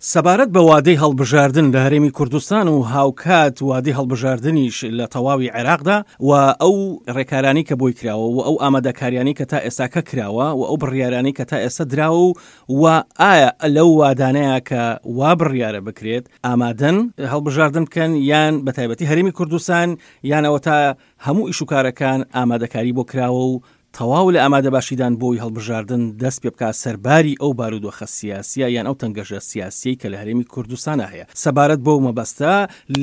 سەبارەت بە وادەی هەڵبژاردن لە هەرێمی کوردستان و هاوکات وادەی هەڵبژاردنیش لە تەواوی عێراقدا و ئەو ڕێکارانەی کە بۆی کراوە و ئەو ئامادەکاریانەی کە تا ئێستاکە کراوە و ئەو بڕیارانەی کە تا ئێستا دراوە و و ئایا لەو وادانەیە کە وا بڕیارە بکرێت ئامادەن هەڵبژاردن بکەن یان بە تایبەتی هەرێمی کوردستان یان ئەوەتا هەموو ئیشوکارەکان ئامادەکاری بۆ کراوە و تەواو لە ئامادەباشیدان بۆی هەڵبژاردن دەست پێبکات سەرباری ئەو بارودۆخە سیاسیە یان ئەو تەنگەژە سیاسیەی کە لە هەرێمی کوردستانا هەیە. سەبارەت بەو مەبەستە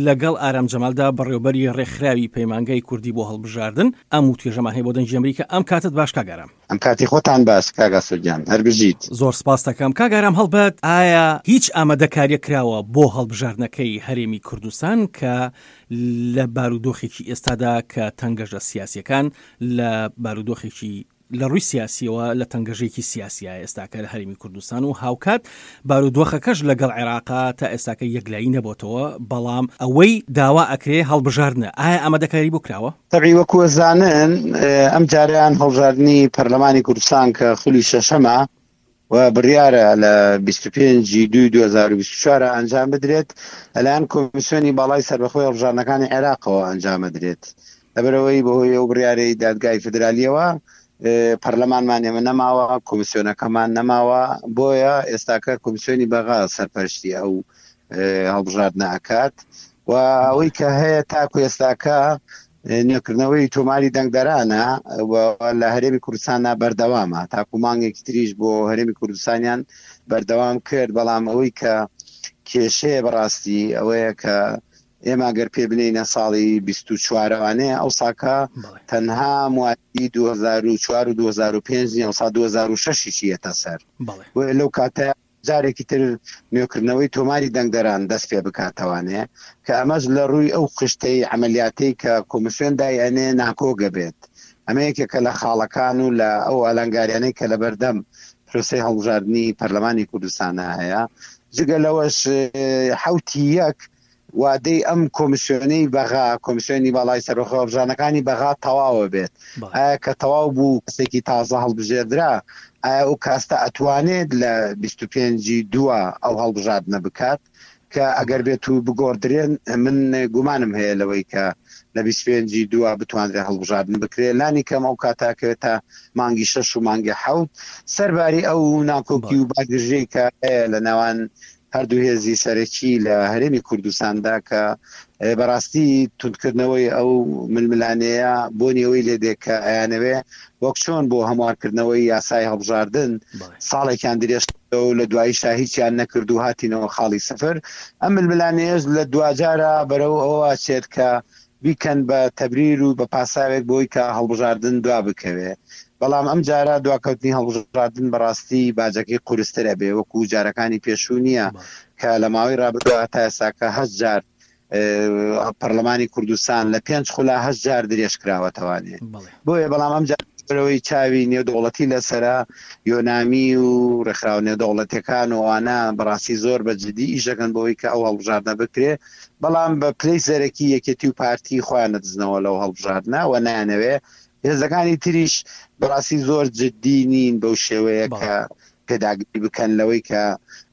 لەگەڵ ئارام جەمالدا بەڕێوبەری ڕێکخراوی پەیمانگای کوردی بۆ هەڵبژاردن ئەم وتوێژەمان هەیە بۆ دەنگی ئەمریکا. ئەم کاتەت باش کاک ئارام. ئەم کاتی خۆتان باش کاک ئاسۆ گیان هەر بژیت. زۆر سپاست دەکەم کاک ئارام هەڵبەت ئایا هیچ ئامادەکاریەک کراوە بۆ هەڵبژاردنەکەی هەرێمی کوردستان کە لە بارودۆخێکی ئێستادا کە تەنگەژە سیاسیەکان لە بارودۆخێکی لە ڕووی سیاسیەوە لە تەنگەژێکی سیاسیە ئێستاکە لە هەرێمی کوردستان و هاوکات بارودۆخەکەش لەگەڵ عێراقا تا ئێستاکە یەکلایی نەبۆتەوە بەڵام ئەوەی داوا ئەکرێ هەڵبژاردنە ئایا ئامادەکاری بۆ کراوە؟ تەبعی وەکو ئەزانن ئەم جارەیان هەڵبژاردنی پەرلەمانی کوردستان کە خولی شەشەمە و بڕیارە لە 25 ی دووی 2024 ئەنجام بدرێت لەلایەن کۆمیسیۆنی باڵای سەربەخۆی هەڵبژاردنەکانی عێراقەوە ئەنجام ئەدرێت لەبەرئەوەی بەهۆی ئەو بڕیارەی دادگای فیدرالیەوە پەرلەمانمان ئێمە نەماوە کۆمیسیۆنەکەمان نەماوە بۆیە ئێستاکە کۆمیسیۆنی بەغا سەرپەرشتی ئەو هەڵبژاردنە ئەکات و ئەوەی کە هەیە تاکو ئێستاکە نوێکردنەوەی تۆماری دەنگدەرانە و لە هەرێمی کوردستاندا بەردەوامە تاکو مانگێکی تریش بۆ هەرێمی کوردستانیان بەردەوام کرد بەڵام ئەوەی کە کێشەیە بەڕاستی ئەوەیە کە ئێمە گەر پێ بنێینە ساڵی 24وانەیە ئەو ساکە تەنها موالی 2004 و 2005 نیە ئەوسا 2006 یەتە سەر بۆیە لەو کاتە جارێکی تر نوێکردنەوەی تۆماری دەنگدەران دەست پێ بکاتەوانێ کە ئەمەش لە ڕووی ئەو خشتەی عەمەلیاتەی کە کۆمیسیۆن دای ئەنێ ناکۆک ئەبێت. ئەمە یەکێکە لە خاڵەکان و لە ئەو ئالانگاریانەی کە لەبەردەم پرۆسەی هەڵبژاردنی پەرلەمانی کوردستانا هەیە. جگە لەوەش حەوتی یەک وادەی ئەم کۆمیسیۆنەی بەغا، کۆمیسیۆنی باڵای سەربەخۆی هەڵبژاردنەکانی بەغا تەواوە بێت. ئایا کە تەواو بوو کەسێکی تازە هەڵبژێردرا، ئایا ئەو کاستە ئەتوانێت لە 25 ی دووە ئەو هەڵبژاردنە بکات؟ کە ئەگەر بێت و بگۆڕدرێن من گومانم هەیە لەوەی کە لە 25 ی دووە بتوانرێت هەڵبژاردن بکرێت لانی کەم ئەو کاتە ئەکەوێتە مانگی شەش و مانگی حەوت سەرباری ئەو ناکۆکی و باگرژەی کە هەیە لە نێوان هەردوو هێزی سەرەکی لە هەرێمی کوردستاندا کە بەڕاستی توندکردنەوەی ئەو ململانێیە بۆنی ئەوەی لێدێ کە ئەیانەوێ وەک چۆن بۆ هەموارکردنەوەی یاسای هەڵبژاردن ساڵێکیان درێژ کردەوە و لە دواییشا هیچیان نەکرد و هاتینەوە خاڵی سفر ئەم ململانێیەش لە دواجارا بەرەو ئەوە ئەچێت کە بیکەن بە تەبریر و بە پاساوێک بۆی کە هەڵبژاردن دوا بکەوێ بەڵام ئەم جارە دواکەوتنی هەڵبژاردن بەڕاستی باجەکەی قورستر ئەبێ وەکو جارەکانی پێشوو نییە کە لە ماوەی رابردووە هەتا ئێستاکە هەشت جار پەرلەمانی کوردستان لە پێنج خولا هەشت جار درێژ کراوەتەوانێ بۆیە بەڵام ئەم جار بەرەوەی چاوی نێودەوڵەتی لەسەرە یۆنامی و ڕێکخراوە نێودەوڵەتیەکان و ئەوانە بەڕاستی زۆر بە جدی ئیش دەکەن بۆی کە ئەو هەڵبژاردنە بکرێ بەڵام بە پلەی سەرەکی یەکێتی و پارتی خۆیان نەدزنەوە لەو هەڵبژاردنە و نایانەوێ هێزەکانی تریش بەڕاستی زۆر جدی نین بەو شێوەیە کە پێداگری بکەن لەوەی کە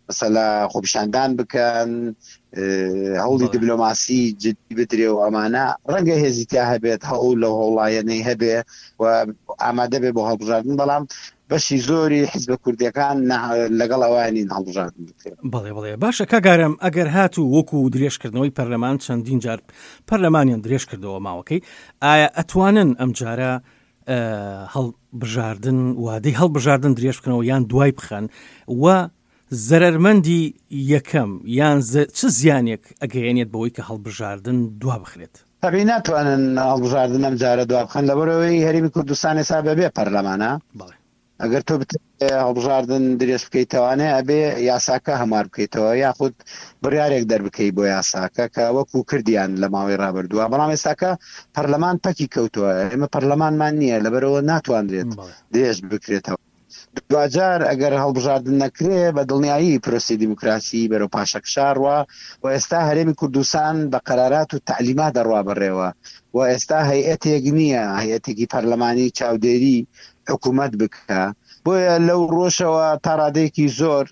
مەسەلا خۆپیشاندان بکەن هەوڵی دیبلۆماسی جدی بدرێ و ئەمانە ڕەنگە هێزی تیا هەبێت هەوڵ لەو هەوڵایەنەی هەبێ و ئامادە بێ بۆ هەڵبژاردن بەڵام بەشی زۆری حیزبە کوردیەکان لەگەڵ ئەوە نین هەڵبژاردن بکرێت. بەڵێ بەڵێ باشە کاک ئارام ئەگەر هاتوو وەکو درێژکردنەوەی پەرلەمان چەندین جار پەرلەمانیان درێژ کردەوە ماوەکەی ئایا ئەتوانن ئەمجارە هەڵبژاردن وادەی هەڵبژاردن درێژ بکەنەوە یان دوای بخەن و زەرەرمەندی یەکەم یان چ زیانێک ئەگەیەنێت بەوەی کە هەڵبژاردن دوا بخرێت؟ تەبعی ناتوانن هەڵبژاردن ئەم جارە دوا بخەن لەبەرئەوەی هەرێمی کوردستان ئێستا بەبێ پەرلەمانە. بەڵێ. ئەگەر تۆ بتەوێ هەڵبژاردن درێژ بکەیتەوانێ ئەبێ یاساکە هەموار بکەیتەوە یاخود بڕیارێک دەربکەی بۆ یاساکە کە وەکو کردیان لە ماوەی ڕابردووە بەڵام ئێستاکە پەرلەمان پەکی کەوتووە ئێمە پەرلەمانمان نییە لەبەرەوە ناتوانرێت درێژ بکرێتەوە دواجار ئەگەر هەڵبژاردن نەکرێ بە دڵنیایی پرۆسی دیموکراسی بەرەو پاشەکشە ڕوا و ئێستا هەرێمی کوردستان بە قەرارات و تەعلیمات دەڕوا بەڕێوە و ئێستا هەیئەتێک نییە هەیئەتێکی پەرلەمانی چاودێری حکومەت بکا. بۆیە لەو ڕۆژەوە تا ڕادەیەکی زۆر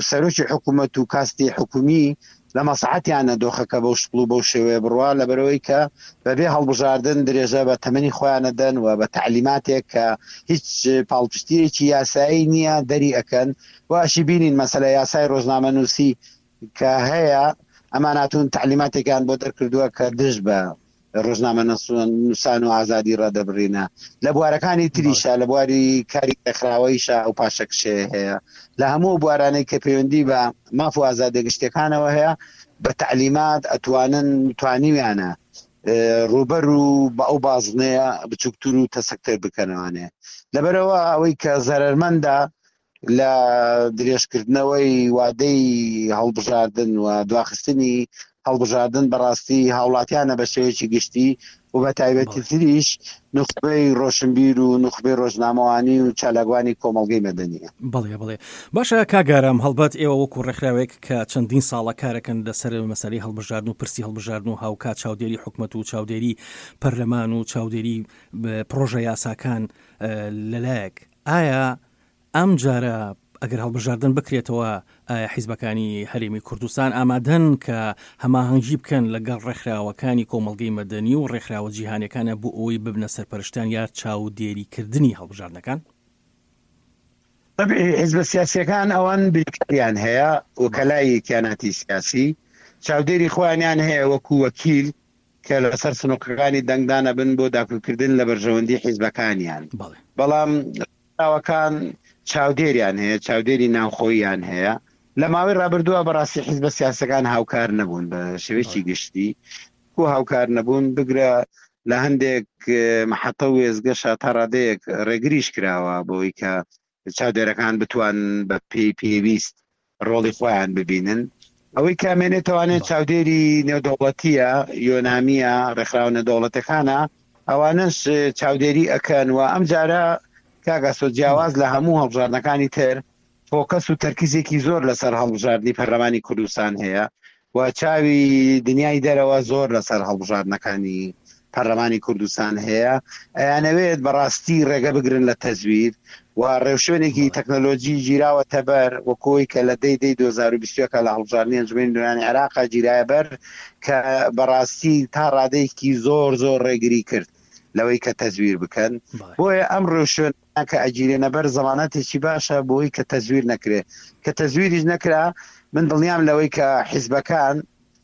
سەرۆکی حکوومەت و کاستی حکومی لە مەسڵەحەتیانە دۆخەکە بەو شکڵ و بەو شێوەیە بڕوا، لەبەرئەوەی کە بەبێ هەڵبژاردن درێژە بە تەمەنی خۆیان ئەدەن و بە تەعلیماتێک کە هیچ پاڵپشتییەکی یاسایی نییە دەری ئەکەن و ئەشی بینین مەسەلە یاسای ڕۆژنامەنووسی کە هەیە ئەمان هاتوون تەعلیماتێکیان بۆ دەرکردووە کە دژ بە ڕۆژنامەنووسان و ئازادی ڕادەبڕینە. لە بوارەکانی تریشا، لە بواری کاری ڕێکخراوەییشا ئەو پاشەکشەیە هەیە. لە هەموو ئەو بوارانەی کە پەیوەندی بە ماف و ئازادیە گشتیەکانەوە هەیە، بە تەعلیمات ئەتوانن، توانیویانە ڕووبەر و بە ئەو بازنەیە بچووکتر و تەسکتر بکەنەوانێ. لەبەرئەوە ئەوەی کە زەرەرمەندە لە درێژکردنەوەی وادەی هەڵبژاردن و دواخستنی هەڵبژاردن بەڕاستی هاوڵاتیانە بە شێوەیەکی گشتی و بە تایبەتی تریش نوخبەی ڕۆشنبیر و نوخبەی ڕۆژنامەوانی و چالاکوانی کۆمەڵگەی مەدەنیە. بەڵێ بەڵێ باشە کاک ئارام هەڵبەت ئێوە وەکو ڕێکخراوێک کە چەندین ساڵە کارەکەن لەسەر مەسەلەی هەڵبژاردن و پرسی هەڵبژاردن و هاوکات چاودێری حکومەت و چاودێری پەرلەمان و چاودێری پڕۆژە یاساکان لەلایەک ئایا ئەم جارە ئەگەر هەڵبژاردن بکرێتەوە ئایا حیزبەکانی هەرێمی کوردستان ئامادەن کە هەماهەنگی بکەن لەگەڵ ڕێکخراوەکانی کۆمەڵگەی مەدەنی و ڕێکخراوە جیهانیەکانە بۆ ئەوەی ببنە سەرپەرشتیان یا چاودێریکردنی هەڵبژاردنەکان؟ تەبعی حیزبە سیاسیەکان ئەوان بیرکاریان هەیە وکەلای کیاناتی سیاسی چاودێری خۆیانیان هەیە وەکو وەکیل کە لەسەر سنوقەکانی دەنگدان ئەبن بۆ داکۆکیکردن لە بەرژەوەندی حیزبەکانیان بەڵام ڕێکخراوەکان چاودێریان هەیە چاودێری ناوخۆییان هەیە لە ماوەی ڕابردووە بەڕاستی حیزبە سیاسەکان هاوکار نەبوون بە شێوەیەکی گشتی و هاوکار نەبوون بگرە لە هەندێک محەتە و وێزگەشە تا ڕادەیەک ڕێگریش کراوە بۆی کە چاودێرەکان بتوان بە پێی پێویست ڕۆڵی خۆیان ببینن. ئەوەی کە ئەمێنێتەوانێ چاودێری نێودەوڵەتییە، یۆنامییە، ڕێکخراوە نێودەوڵەتەکانە، ئەوانەش چاودێری ئەکەن و ئەمجارە کاک ئاسۆ جیاواز لە هەموو هەڵبژاردنەکانی تر فۆکەس و تەرکیزێکی زۆر لەسەر هەڵبژاردنی پەرلەمانی کوردستان هەیە و چاوی دنیای دەرەوە زۆر لەسەر هەڵبژاردنەکانی پەرلەمانی کوردستان هەیە ئەیانەوێت بەڕاستی ڕێگە بگرن لە تەزویر و ڕێوشوێنێکی تەکنەلۆجی گیراوەتە بەر وەکۆی کە لە دەی دەی 2021 لە هەڵبژاردنی ئەنجومەنی نوێنەرانی عێراقا گیرایە بەر کە بەڕاستی تا ڕادەیەکی زۆر زۆر ڕێگری کرد لەوەی کە تەزویر بکەن بۆیە ئەم ڕێوشوێن کە ئەگیرێنە بەر زەمانەتێکی باشە بۆی کە تەزویر نەکرێ کە تەزویریش نەکرا من دڵنیام لەوەی کە حیزبەکان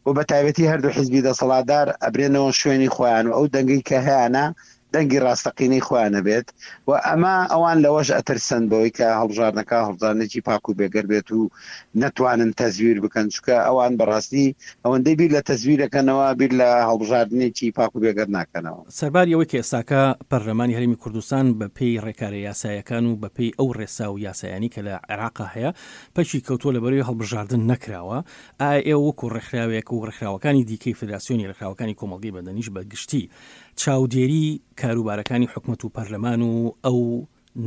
و بە تایبەتی هەردوو حیزبی دەسەڵاتدار ئەبرێنەوە شوێنی خۆیان و ئەو دەنگەی کە هەیانە دەنگی ڕاستەقینەی خۆیان ئەبێت و ئەمە ئەوان لەوەش ئەترسن بەوەی کە هەڵبژاردنەکە هەڵبژاردنێکی پاک و بێگەرد بێت و نەتوانن تەزویر بکەن چونکە ئەوان بەڕاستی ئەوەندەی بیر لە تەزویر ئەکەنەوە بیر لە هەڵبژاردنێکی پاک و بێگەرد ناکەنەوە. سەرباری ئەوەی کە ئێستاکە پەرلەمانی هەرێمی کوردستان بە پێی ڕێکارە یاسایەکان و بە پێی ئەو ڕێسا و یاسایانەی کە لە عێراقا هەیە پەکی کەوتووە لەبەرەی هەڵبژاردن نەکراوە، ئایا ئێوە وەکو ڕێکخراوێک و ڕێکخراوەکانی دیکەی فدراسیۆنی ڕێکخراوەکانی کۆمەڵگەی مەدەنیش بە گشتی چاودێری کاروبارەکانی حکومەت و پەرلەمان و ئەو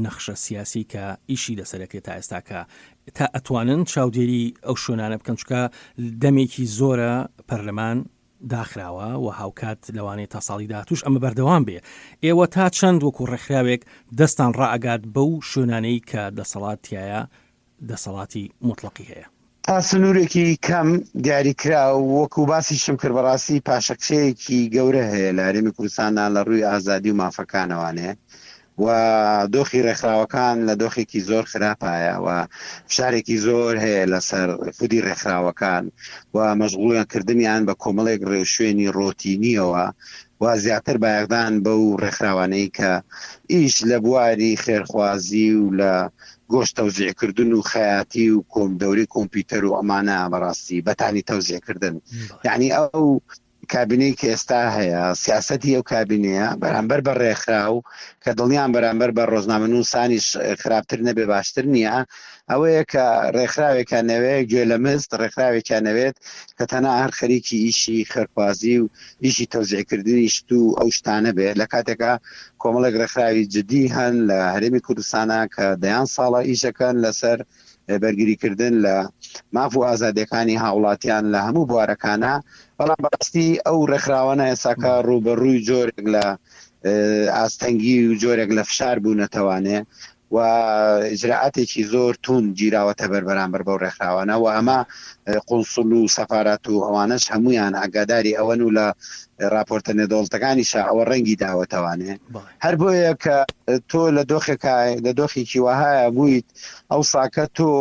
نەخشە سیاسی کە ئیشی لەسەر ئەکرێت تا ئێستاکە تا ئەتوانن چاودێری ئەو شوێنانە بکەن چونکە دەمێکی زۆرە پەرلەمان داخراوە و هاوکات لەوانەیە تا ساڵی داهاتووش ئەمە بەردەوام بێ ئێوە تا چەند وەکو ڕێکخراوێک دەستان ڕائەگات بەو شوێنانەی کە دەسەڵات تایە دەسەڵاتی موتڵەقی هەیە. تا سنوورێکی کەم دیاریکراو، وەکو باسیشم کرد بەڕاستی پاشەکشەیەکی گەورە هەیە لە هەرێمی کوردستاندا لە ڕووی ئازادی و مافەکانەوانێ و دۆخی ڕێکخراوەکان لە دۆخێکی زۆر خراپایە و فشارێکی زۆر هەیە لەسەر خودی ڕێکخراوەکان و مەشغوڵیان کردنیان بە کۆمەڵێک ڕێوشوێنی ڕۆتینیەوە و زیاتر بایەخدان بەو ڕێکخراوانەی کە ئیش لە بواری خێرخوازی و لە گۆشت تەوزیع کردن و خەیاتی و کۆم دەورەی کۆمپیوتەر و ئەمانە بەڕاستی بەتانی تەوزیع کردن یعنی ئەو کابینەی کە ئێستا هەیە سیاسەتی ئەو کابینەیە بەرامبەر بە ڕێکخراو کە دڵنیام بەرامبەر بە ڕۆژنامەنووسانیش خراپتر نەبێ باشتر نییە ئەوەیە کە ڕێکخراوێکیان نەوێ گوێ لە مست ڕێکخراوێکیان نەوێت کە تەنها هەر خەریکی ئیشی خێرخوازی و ئیشی تەوزیعکردنی شت و ئەو شتانە بێت لە کاتێکا کۆمەڵێک ڕێکخراوی جدی هەن لە هەرێمی کوردستانا کە دەیان ساڵە ئیشەکەن لەسەر بەرگریکردن لە ماف و ئازادیەکانی هاوڵاتیان لە هەموو بوارەکانە بەڵام بەڕاستی ئەو ڕێکخراوانە ئێساکە ڕووبەڕووی جۆرێک لە ئاستەنگی و جۆرێک لە فشار بوونەتەوانێ. و ئیجرائاتێکی زۆر توند گیراوەتە بەر بەرامبەر بەو ڕێکخراوانە و ئەمە قونسول و سەفارات و ئەوانەش هەمویان ئاگاداری ئەوەن و لە راپۆرتە نێودەوڵەتەکانیشا ئەوە ڕەنگی داوەتەوانێ هەر بۆیە کە تۆ لە دۆخێکا لە دۆخێکی وەهایە بوویت ئەو ساکە تۆ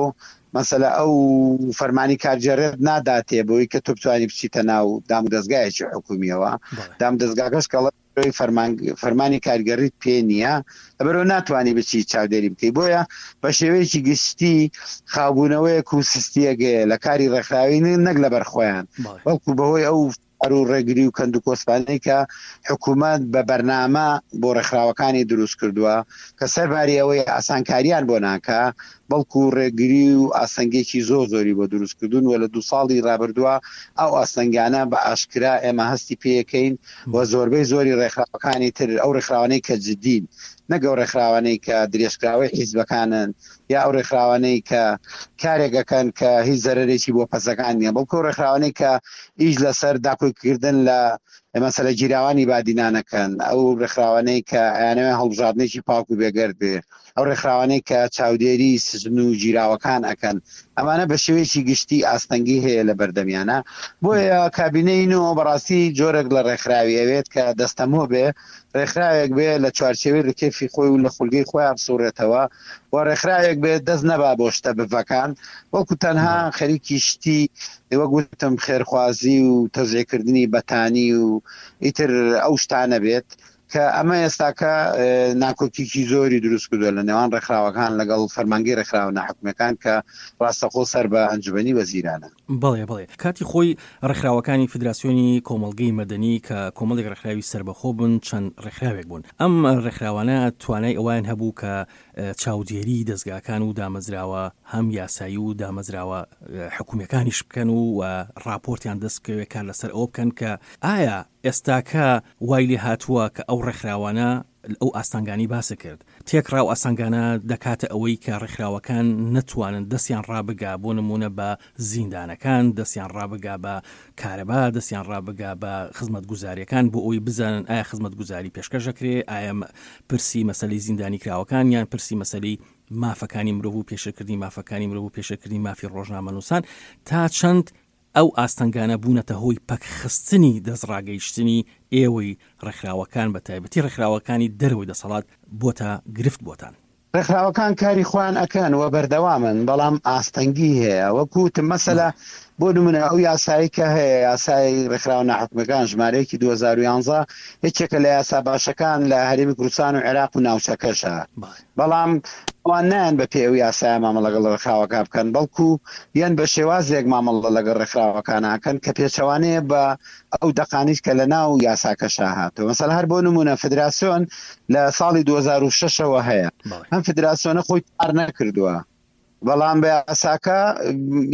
مەسەلە ئەو فەرمانی کارگێڕێت ناداتێ بۆی کە تۆ بتوانی بچیتە ناو دام و دەزگایەکی حکومیەوە دام دەزگاکەش کەڵ فەرمانی کارگەڕیت پێ نییە لەبەرئەوە ناتوانی بچی چاودێری بکەی بۆیە بە شێوەیەکی گشتی خاوبوونەوەیەک و سستیەک هەیە لە کاری ڕێکخراوی نەک لەبەر خۆیان بەڵکو بەهۆی ئەو فشار و ڕێگری و کەند و کۆسپانەی کە حکوومەت بە بەرنامە بۆ ڕێکخراوەکانی دروست کردووە کە سەرباری ئەوەی ئاسانکاریان بۆ ناکا بەڵکو ڕێگری و ئاستەنگێکی زۆر زۆری بۆ دروست کردوون و لە دوو ساڵی ڕابردووە ئەو ئاستەنگانە بە ئاشکرا ئێمە هەستی پێیەکەین و زۆربەی زۆری ڕێکخراوەکانی تر ئەو ڕێکخراوانەی کە جدین نەک ئەو ڕێکخراوانەی کە درێژکراوەی حیزبەکانن یا ئەو ڕێکخراوانەی کە کارێک ئەکەن کە هیچ زەرەرێکی بۆ پەسەکان نییە بەڵکو ئەو ڕێکخراوانەی کە ئیش لەسەر داکۆکیکردن لە مەسەلە گیراوانی بادینان ئەکەن ئەو ڕێکخراوانەی کە ئەیانەوێ هەڵبژاردنێکی پاک و بێگەرد بێ ئەو ڕێکخراوانەی کە چاودێری سجن و گیراوەکان ئەکەن ئەمانە بە شێوەیەکی گشتی ئاستەنگی هەیە لە بەردەمیانە بۆیە کابینەی نۆ بەڕاستی جۆرێک لە ڕێکخراوی ئەوێت کە دەستەمۆ بێ ڕێکخراوێک بێ لە چوارچێوەی ڕکێفی خۆی و لە خولگەی خۆیان بسوڕێتەوە و ڕێکخراوێک بێ دەست نەبا بۆ شتە بڤەکان بەڵکو تەنها خەریکی شتی وەک وتم خێرخوازی و تەزیعکردنی بەتانی و ئیتر ئەو شتانە بێت کە ئەمە ئێستاکە ناکۆکیکی زۆری دروست کردووە لە نێوان ڕێکخراوەکان لەگەڵ فەرمانگەی ڕێکخراوە ناحکومیەکان کە ڕاستەخۆ سەر بە ئەنجومەنی وەزیرانە. بەڵێ بەڵێ کاتی خۆی ڕێکخراوەکانی فدراسیۆنی کۆمەڵگەی مەدەنی کە کۆمەڵێک ڕێکخراوی سەربەخۆ بوون چەند ڕێکخراوێک بوون ئەم ڕێکخراوانە توانای ئەوەیان هەبوو کە چاودێری دەزگاکان و دامەزراوە هەم یاسایی و دامەزراوە حکومیەکانیش بکەن و ڕاپۆرتیان دەست بکەوێت کار لەسەر ئەوە بکەن کە ئایا ئێستاکە وای لێ هاتووە کە ئەو ڕێکخراوانە ئەو ئاستانگانەی باست کرد تێکڕا و ئاستانگانە دەکاتە ئەوەی کە ڕێکخراوەکان نەتوانن دەستیان ڕابگا بۆ نموونە بە زیندانەکان دەستیان ڕابگا بە کارەبا دەستیان ڕابگا بە خزمەتگوزاریەکان بۆ ئەوەی بزانن ئایا خزمەتگوزاری پێشکەش دەکرێ ئایا پرسی مەسەلەی زیندانیکراوەکان یان پرسی مەسەلەی مافەکانی مرۆڤ و پێشێلکردنی مافەکانی مرۆڤ و پێشێلکردنی مافی ڕۆژنامەنووسان تا چەند ئەو ئاستەنگانە بوونەتە هۆی پەکخستنی دەستڕاگەیشتنی ئێوەی ڕێکخراوەکان بە تایبەتی ڕێکخراوەکانی دەرەوەی دەسەڵات بۆتە گرفت بۆتان؟ ڕێکخراوەکان کاری خۆیان ئەکەن و بەردەوامن بەڵام ئاستەنگی هەیە وەکو وتم مەسەلە بۆ نمونە ئەو یاسایی کە هەیە یاسای ڕێکخراوە ناحکومیەکان ژمارەیەکی 2011 یەکێکە لە یاسا باشەکان لە هەرێمی کوردستان و عێراق و ناوچەکەشە بەڵام ئەوان نایەن بە پێی ئەو یاسایە مامەڵە لەگەڵ ڕێکخراوەکان بکەن، بەڵکو یەن بە شێوازێک مامەڵە لەگەڵ ڕێکخراوەکان ئەکەن کە پێچەوانەیە بە ئەو دەقانیش کە لە ناو یاساکەشا هاتووە. مەسەلەن هەر بۆ نموونە فدراسیۆن لە ساڵی 2006 ەوە هەیە، ئەم فدراسیۆنە خۆی تۆمار نەکردووە، بەڵام بە یاساکە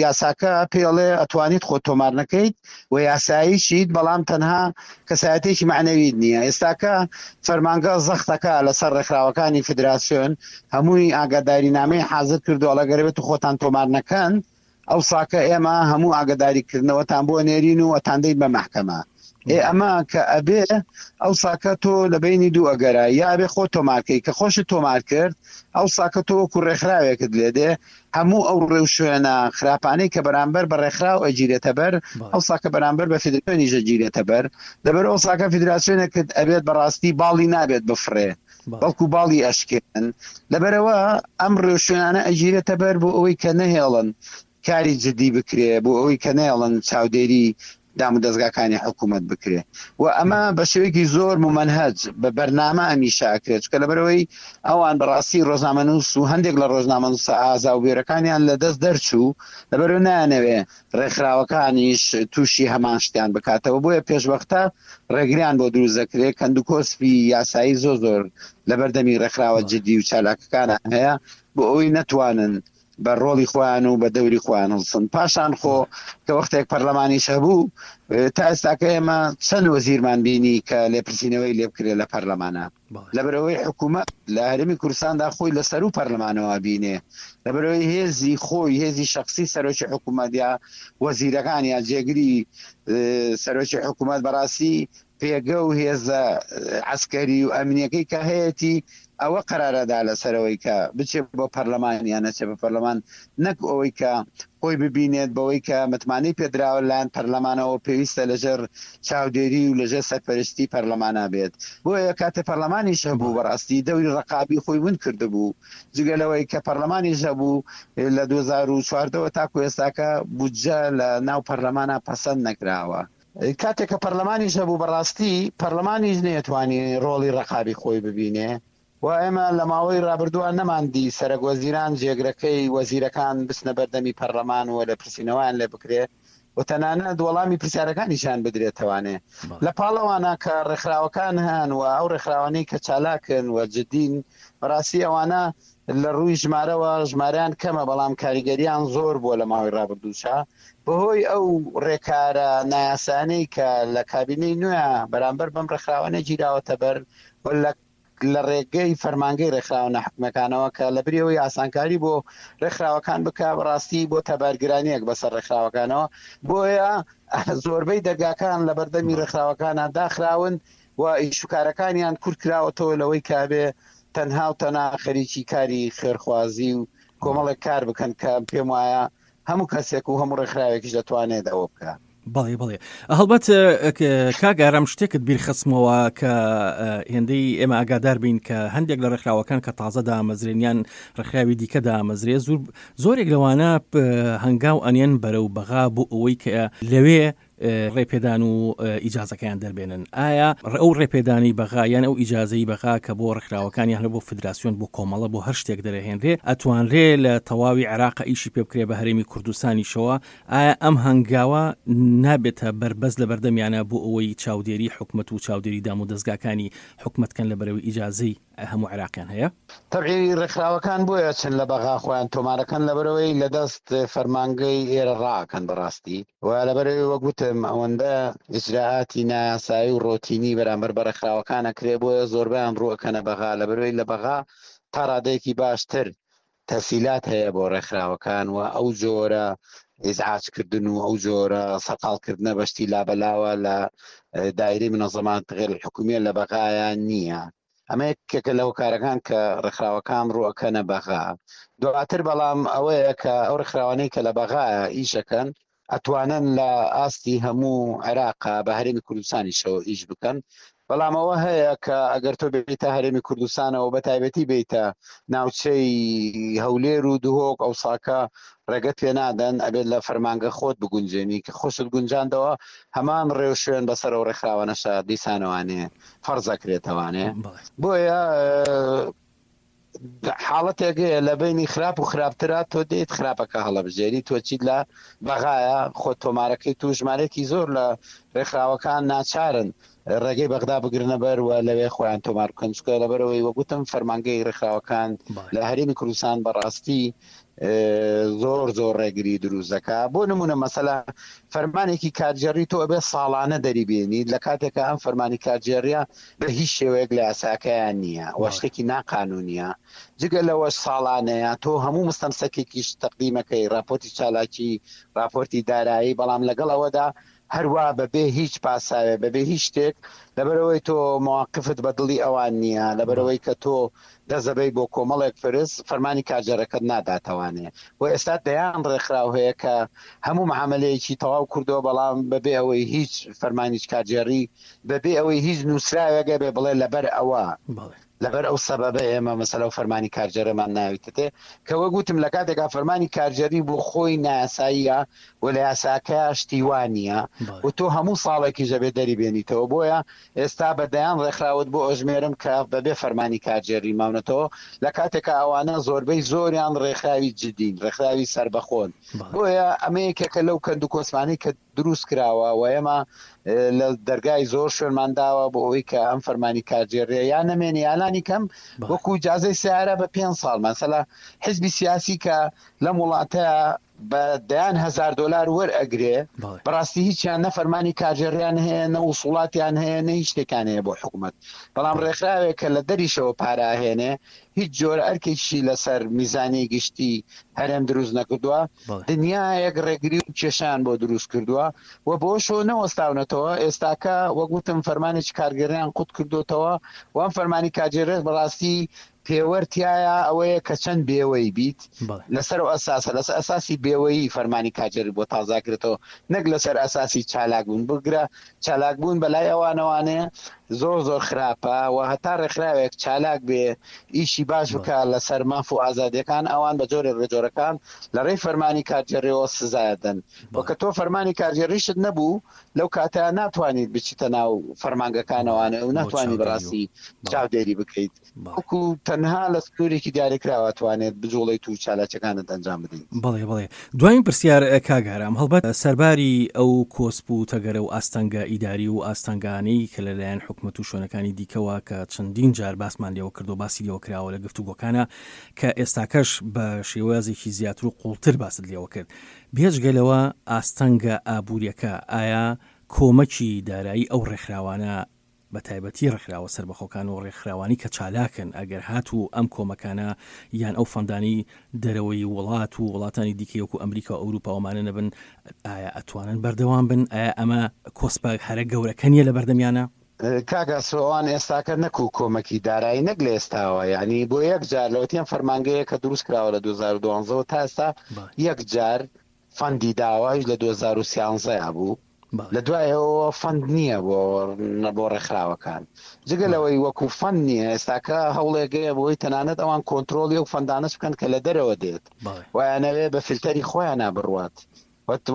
یاساکە پێڵێ ئەتوانیت خۆت تۆمار نەکەیت و یاساییشیت بەڵام تەنها کەسایەتێکی مەعنەویت نییە ئێستاکە فەرمانگە زەختەکە لەسەر ڕێکخراوەکانی فدراسیۆن هەمووی ئاگاداری نامەی حاضر کردو ئەڵێ گەر بێت خۆتان تۆمار نەکەن ئەو ساکە ئێمە هەموو ئاگاداری کردنەوەتان بۆ نێرین و ئەتاندەین بە مەحکەمە ئێ ئەمە کە ئەبێ ئەو ساکە تۆ لە بینی دوو ئەگەرە یا ئەبێ خۆ تۆمارکەی کە خۆشت تۆمار کرد ئەو ساکە تۆ وەکو ڕێکخراوێکت لێ دێ هەموو ئەو ڕێوشوێنە خراپانەی کە بەرامبەر بە ڕێکخراو ئەگیرێتە بەر ئەو ساکە بەرامبەر بە فیدراسیۆنیش ئەگیرێتە بەر لەبەر ئەو ساکە فیدراسیۆنێکت ئەبێت بەڕاستی باڵی نابێت بفڕێ بەڵکو باڵی ئەشکێنن لەبەرئەوە ئەم ڕێوشوێنانە ئەگیرێتە بەر بۆ ئەوەی کە نەهێڵن کاری جدی بکرێ بۆ ئەوەی کە نەیەڵن چاودێری دامودەزگاکانی حکوومەت بکرێ و ئەمە بە شێوەیەکی زۆر مومەنهەج بە بەرنامە ئەمیشە ئەکرێت چونکە لەبەرئەوەی ئەوان بەڕاستی ڕۆژنامەنووس و هەندێک لە ڕۆژنامەنووسە ئازا و بوێرەکانیان لە دەست دەرچوو لەبەرئەوە نایانەوێ ڕێکخراوەکانیش تووشی هەمان شتیان بکاتەوە بۆیە پێشوەختە ڕێگریان بۆ دروست دەکرێت کەندوکۆسپی یاسایی زۆر زۆر لەبەردەمی ڕێکخراوە جدی و چالاکەکانە هەیە بۆ ئەوەی نەتوانن بە ڕۆڵی خۆیان و بە دەوری خۆیان هەڵسن پاشان خۆ کە وەختێک پەرلەمانیش هەبوو تا ئێستاکە ئێمە چەند وەزیرمان بینی کە لێپرسینەوەی لێ بکرێت لە پەرلەمانە لەبەرئەوەی حکوومەت لە هەرێمی کوردستاندا خۆی لە سەروو پەرلەمانەوە بینێ لەبەرئەوەی هێزی خۆی هێزی شخصی سەرۆکی حکوومەت یا وەزیرەکان یا جێگری سەرۆکی حکوومەت بەڕاستی پێگە و هێزە عەسکەری و ئەمنیەکەی کە هەیەتی ئەوە قەرارەدا لەسەرەوەی کە بچێ بۆ پەرلەمان یان نەچێ بە پەرلەمان، نەک ئەوەی کە خۆی ببینێت بەوەی کە متمانەی پێدراوە لەلایەن پەرلەمانەوە پێویستە لەژێر چاودێری و لەژێر سەرپەرشتی پەرلەمانا بێت. بۆیە کاتێ پەرلەمانیش هەبوو بەڕاستی دەوری ڕەقابی خۆی ون کردبوو. جگە لەوەی کە پەرلەمانیش هەبوو لە 2014 وە تاکو ئێستاکە بودجە لە ناو پەرلەمانا پەسەند نەکراوە. کاتێک کە پەرلەمانیش هەبوو بەڕاستی پەرلەمانیش نەیەتوانی ڕۆڵی ڕەقابی خۆی ببینێ و ئێمە لە ماوەی ڕابردووە نەماندی سەرەک وەزیران جێگرەکەی وەزیرەکان بچنە بەردەمی پەرلەمان و لێپرسینەوەیان لێ بکرێ و تەنانەت وەڵامی پرسیارەکانیشیان بدرێتەوانێ. لە پاڵ ئەوانە کە ڕێکخراوەکان هەن و ئەو ڕێکخراوانەی کە چالاکن و جدین بەڕاستی ئەوانە لە ڕووی ژمارەوە ژمارەیان کەمە بەڵام کاریگەریان زۆر بووە لە ماوەی ڕابردووشا بەهۆی ئەو ڕێکارە نایاسایانەی کە لە کابینەی نوێ بەرامبەر بەم ڕێکخراوانە گیراوەتە بەر و لە لە ڕێگەی فەرمانگەی ڕێکخراوە ناحکومیەکانەوە کە لە بری ئەوەی ئاسانکاری بۆ ڕێکخراوەکان بکا بەڕاستی بۆتە بارگرانیەک بەسەر ڕێکخراوەکانەوە بۆیە زۆربەی دەرگاکان لە بەردەمی ڕێکخراوەکانە داخراون و ئیشوکارەکانیان کورت کراوەتەوە لەوەی کابێ تەنها و تەنها خەریکی کاری خێرخوازی و کۆمەڵێک کار بکەن کە پێم وایە هەموو کەسێک و هەموو ڕێکخراوێکیش دەتوانێت ئەوە بکە. بەڵێ بەڵێ هەڵبەت کاک ئارام شتێکت بیرخستمەوە کە هێندەی ئێمە ئاگادار بین کە هەندێک لە ڕێکخراوەکان کە تازە دامەزرێن یان ڕێکخراوی دیکە دامەزرێ زۆر زۆرێک لەوانە هەنگاو ئەنێن بەرەو بەغا بۆ ئەوەی کە لەوێ ڕێپێدان و ئیجازەکەیان دەربێنن ئایا ئەو ڕێپێدانی بەغا یان ئەو ئیجازەی بەغا کە بۆ ڕێکخراوەکان یان بۆ فدراسیۆن بۆ کۆمەڵە بۆ هەر شتێک دەرەهێنرێ ئەتوانرێ لە تەواوی عێراق ئیشی پێ بکرێ بە هەرێمی کوردستانیشەوە ئایا ئەم هەنگاوە نابێتە بەربەست لە بەردەمیانە بۆ ئەوەی چاودێری حکومەت و چاودێری دام و دەزگاکانی حکومەت کەن لە بەرەوەی ئیجازەی هەموو عێراقیان هەیە؟ تەبعی ڕێکخراوەکان بۆیە چن لە بەغا خۆیان تۆمارەکەن لەبەرئەوەی لە دەست فەرمانگەی ئێرە ڕائەکەن بەڕاستی و لەبەرئەوەی وەک وتم ئەوەندە ئیجرائاتی نایاسایی و ڕۆتینی بەرامبەر بە ڕێکخراوەکان ئەکرێ بۆیە زۆربەیان ڕوو ئەکەنە بەغا لەبەرئەوەی لە بەغا تا ڕادەیەکی باشتر تەسهیلات هەیە بۆ ڕێکخراوەکان و ئەو جۆرە ئیزعاج کردن و ئەو جۆرە سەرقاڵ کردنە بە شتی لابەلاوە لە دایرەی منەزەمات غێر الحکومیە لە بەغایا نییە. ئەمە یەکێکە لە هۆکارەکان کە ڕێکخراوەکان ڕووەکەنە بەغا. دواتر بەڵام ئەوەیە کە ئەو ڕێکخراوانەی کە لە بەغایا ئیشەکەن ئەتوانن لە ئاستی هەموو عێراقا بە هەرێمی کوردستانیشەوە ئیش بکەن، بەڵام ئەوە هەیە کە ئەگەر تۆ بێیتە هەرێمی کوردستانەوە بە تایبەتی بێیتە ناوچەی هەولێر و دهۆک ئەوساکە ڕێگەت پێ نادەن ئەبێت لە فەرمانگە خۆت بگونجێنی کە خۆشت گونجاندەوە هەمان ڕێوشوێن بەسەر ئەو ڕێکخراوانەشا دیسانەوانێ فەرز ئەکرێتەوانێ بۆیە حاڵەتێک هەیە لە بینی خراپ و خراپترا تۆ دێیت خراپەکە هەڵەبژێری تۆ چیت لە بەغایە خۆ تۆمارەکەی تو ژمارەیەکی زۆر لە ڕێکخراوەکان ناچارن ڕێگەی بەغدا بگرنە بەر و لەوێ خۆیان تۆمار بکەن چونکە لەبەرەوەی وەگوتم فەرمانگەی ڕێکخراوەکان لە هەرێمی کوردستان بەڕاستی زۆر زۆر ڕێگری دروست دەکا بۆ نمونە مەسەلا فەرمانێکی کارگێڕی تۆ ئەبێ ساڵانە دەری بێنیت لە کاتێکا ئەم فەرمانی کارگێڕیە بە هیچ شێوەیەک لە یاساکەیان نییە و شتێکی ناقانونیە جگە لەوەش ساڵانەیە تۆ هەموو مستەمسەکێکیش تەقدیمەکەی راپۆرتی چالاکی راپۆرتی دارایی بەڵام لەگەڵ ئەوەدا هەروا بەبێ هیچ پاساوێ بەبێ هیچ شتێک لەبەرئەوەی تۆ مەواقفت بە دڵی ئەوان نییە لەبەرئەوەی کە تۆ دەست دەبەی بۆ کۆمەڵێک پرس فەرمانی کارگێڕەکەت ناداتەوانێ و ئێستا دەیان ڕێکخراو هەیە کە هەموو معامەلەیەکی تەواو کردووە بەڵام بەبێ ئەوەی هیچ فەرمانیچ کارگێڕی بەبێ ئەوەی هیچ نووسراوێک هەبێ بڵێ لەبەر ئەوە لەبەر ئەو سەبەبە ئێمە مەسەلە و فەرمانی کارگێڕیمان ناویتەتێ کە وەک وتم لە کاتێکا فەرمانی کارگێڕی بۆ خۆی نایاساییە و لە یاساکەیا شتی وا نییە و تۆ هەموو ساڵێکیش ئەبێ دەری بێنیتەوە بۆیە ئێستا بە دەیان ڕێکخراوت بۆ ئەژمێرم کە بەبێ فەرمانی کارگێڕی ماونەتەوە لە کاتێکا ئەوانە زۆربەی زۆریان ڕێکخراوی جدین ڕێکخراوی سەربەخۆن بۆیە ئەمە یەکێکە لەو کەند و کۆسپانەی کە دروست کراوە و ئێمە لە دەرگای زۆر شوێنمان داوە بۆ ئەوەی کە ئەم فەرمانی کارگێڕیە یا نەمێنێ یا لانی کەم وەکو ئیجازەی سیارە بە پێنج ساڵ مەسەلا حزبی سیاسی کە لەم وڵاتە بە دەیان هەزار دۆلار وەرئەگرێ، بەڕاستی هیچیان نە فەرمانی کارگێڕیان هەیە، نە وسوڵاتیان هەیە، نە هیچ شتێکیان هەیە بۆ حکومەت. بەڵام ڕێکخراوێک کە لە دەریشەوە پارە ئەهێنێ، هیچ جۆرە ئەرکێکیشی لەسەر میزانیەی گشتی هەرێم دروست نەکردووە، دنیایەک ڕێگری و کێشەیان بۆ دروست کردووە و بەوەشەوە نەوەستاونەتەوە، ئێستاکە وەک وتم فەرمانێکی کارگێڕیان قوت کردۆتەوە و ئەم فەرمانی کارگێڕیەش بەڕاستی پێوەر تیایا ئەوەیە کە چەند بێوەی بیت لەسەر ئەو ئەساسە لەسەر ئەساسی بێوەیی فەرمانی کاجێری بۆ تازاکرێتەوە نەک لەسەر ئەساسی چالاک بوون بگرە چالاک بوون بەلای ئەوانەوانێ زۆر زۆر خراپە و هەتا ڕێکخراوێک چالاک بێ ئیشی باش بکە لەسەر ماف و ئازادیەکان ئەوان بە جۆرێک لە جۆرەکان لە ڕێی فەرمانی کارگێڕیەوە سزایدەن و کە تۆ فەرمانی کارگێڕیشت نەبوو لەو کاتە ناتوانیت بچیتە ناو فەرمانگەکانەوانە و ناتوانانی بەڕاستی چاودێری بکەیت وەکو تەنها لە سنوورێکی دیاریکراوە توانێت بجوڵێیت و چالاکیەکانت ئەنجام بدەیت. بەڵێ بەڵێ دواین پرسیار کاک ئارام هەڵبەت سەرباری ئەو کۆسپ و تەگەرە و ئاستەنگە ئیداری و ئاستەنگانەی کە لەلایەن حکومەت و شوێنەکانی دیکەوە کە چەندین جار باسمان لێوە کردو باسی لێوە کراوە لە گفتوگۆکانە کە ئێستاکەش بە شێوازێکی زیاتر و قوڵتر باست لێوە کرد بێجگە لەوە ئاستەنگە ئابووریەکە ئایا کۆمەکی دارایی ئەو ڕێکخراوانە بە تایبەتی ڕێکخراوە سەربەخۆکان و ڕێکخراوانی کە چالاکن ئەگەر هاتوو ئەم کۆمەکانە یان ئەو فەندانەی دەرەوەی وڵات و وڵاتانی دیکەی وەکو ئەمریکا و ئەوروپا و ئەمانە نەبن ئایا ئەتوانن بەردەوام بن؟ ئایا ئەمە کۆسپە هەرە گەورەکە نییە لە بەردەمیانە؟ کاک ئاسۆ ئەوان ئێستاکە نەکو کۆمەکی دارایی نەک لە ئێستاوە یانی بۆ یەک جار لەوەتی ئەم فەرمانگەیە کە دروست کراوە لە 2012 وە تا ئێستا یەک جار فەندی داوە ئەویش لە 2013 یا بوو لە دوای ئەوەوە فەند نییە بۆ بۆ ڕێکخراوەکان جگە لەوەی وەکو فەند نییە ئێستاکە هەوڵێگەیە بۆی تەنانەت ئەوان کۆنتترۆلی ئەو فەندانەش بکەن کە لە دەرەوە دێت وایانەوێ بە فلتەری خۆیانە بڕوات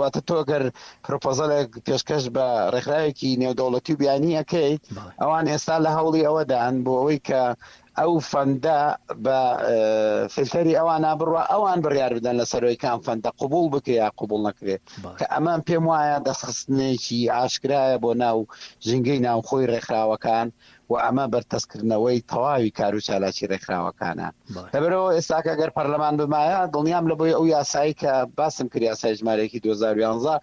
واتە تۆ گەر پرۆپۆزەلێک پێشکەش بە ڕێکخراوێکی نێودەوڵەتی و بیانی ئەەکەیت ئەوان ئێستا لە هەوڵی ئەوەدان بۆ ئەوەی کە ئەو فەندە بە فلتەری ئەوانە بڕوا ئەوان بڕیار بدەن لە سەرۆی کام فەندە قوبول بکرێ یا قوبول نەکرێ کە ئەمە پێم وایە دەستخستنێکی ئاشکرایە بۆ ناو ژینگەی ناوخۆی ڕێکخراوەکان و ئەمە بەرتەسکردنەوەی تەواوی کار و چالاکی ڕێکخراوەکانە لەبەرەوە ئێستاکە گەر پەرلەمان بمایە دڵنیام لە بۆی ئەو یاسایی کە باسم کرد یاسای ژمارەیەکی 2011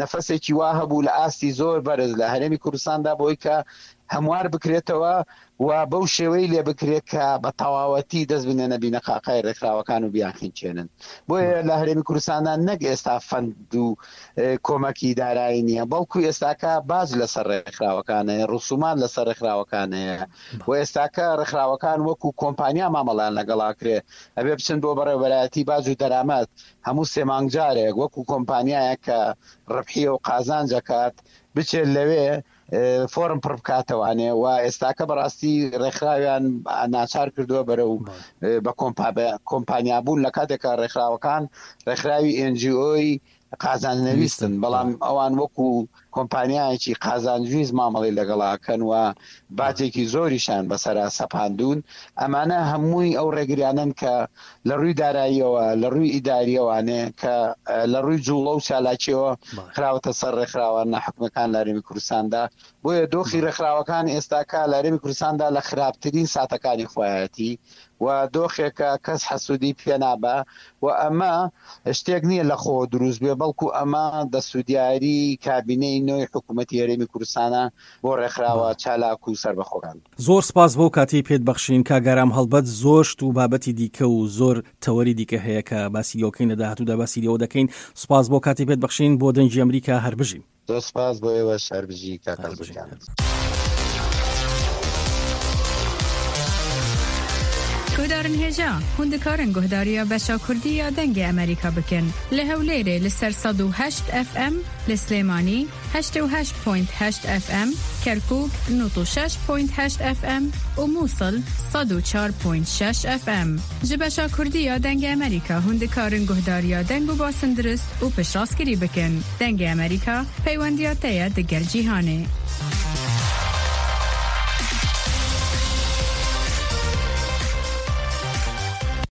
نەفەسێکی وا هەبوو لە ئاستی زۆر بەرز لە هەرێمی کوردستاندا بۆی کە هەموار بکرێتەوە و بەو شێوەی لێ بکرێت کە بە تەواوەتی دەست بنێنە بینەقاقای ڕێکخراوەکان و بیانخنکێنن. بۆیە لە هەرێمی کوردستاندا نەک ئێستا فەند و کۆمەکی دارایی نییە، بەڵکو ئێستاکە باج لەسەر ڕێکخراوەکان هەیە، ڕسومات لەسەر ڕێکخراوەکان هەیە و ئێستاکە ڕێکخراوەکان وەکو کۆمپانیا مامەڵەیان لەگەڵا کرێ، ئەبێ بچن بۆ بەڕێوەبەرایەتی باج و دەرامەت هەموو سێ مانگ جارێک وەکو کۆمپانیایەک کە ڕبحیە و قازانج ئەکات بچێت لەوێ فۆرم پڕ بکاتەوانێ و ئێستاکە بەڕاستی ڕێکخراویان ناچار کردووە بەرەو بە کۆمپانیا بوون لە کاتێکا ڕێکخراوەکان ڕێکخراوی ئێنجیۆی قازانج نەویستن بەڵام ئەوان وەکو کۆمپانیایەکی قازانجویست مامەڵی لەگەڵاکەن و باجێکی زۆریشان بەسەرا سەپاندوون ئەمانە هەمووی ئەو ڕێگریانەن کە لە ڕووی داراییەوە، لە ڕووی ئیدارییەوانێ کە لە ڕووی جووڵە و چالاکییەوە خراوەتە سەر ڕێکخراوە ناحکومییەکان لە هەرێمی کوردستاندا. بۆیە دۆخی ڕێکخراوەکان ئێستاکە لە هەرێمی کوردستاندا لە خراپترین ساتەکانی خۆیەتی و دۆخێکە کەس حەسوودی پێ نابا و ئەمە شتێک نییە لە خۆوە دروست بێ بەڵکو ئەمە دەستودیاری کابینەی نۆی حکوومەتی هەرێمی کوردستانە بۆ ڕێکخراوە چالاک و سەربەخۆکان. زۆر سپاس بۆ کاتەی پێت بەخشین کاک ئارام هەڵبەت زۆر شت و بابەتی دیکە و زۆر تەوەری دیکە هەیە کە باسی لێوەکەین لە داهاتوودا باسی لێوە دەکەین سپاس بۆ کاتی پێت بەخشین بۆ دەنگی ئەمریکا هەر بژین. زۆر سپاس بۆ ئێوەش هەر بژی کاک هەر بژین. ئازاد گیان. Guhdarên hêja, hûn dikarin guhdariya beşa Kurdî ya Dengê Amerîka bikin. Li Hewlêrê li ser 108 FM, li Silêmanî 88.8 FM, Kerkûk 96.8 FM û Mûsil 104.6 FM. Ji beşa Kurdî ya Dengê Amerîka hûn dikarin guhdariya deng û basin dirust û piştrastkirî bikin. Dengê Amerîka, peywendiya te ye digel cîhanê.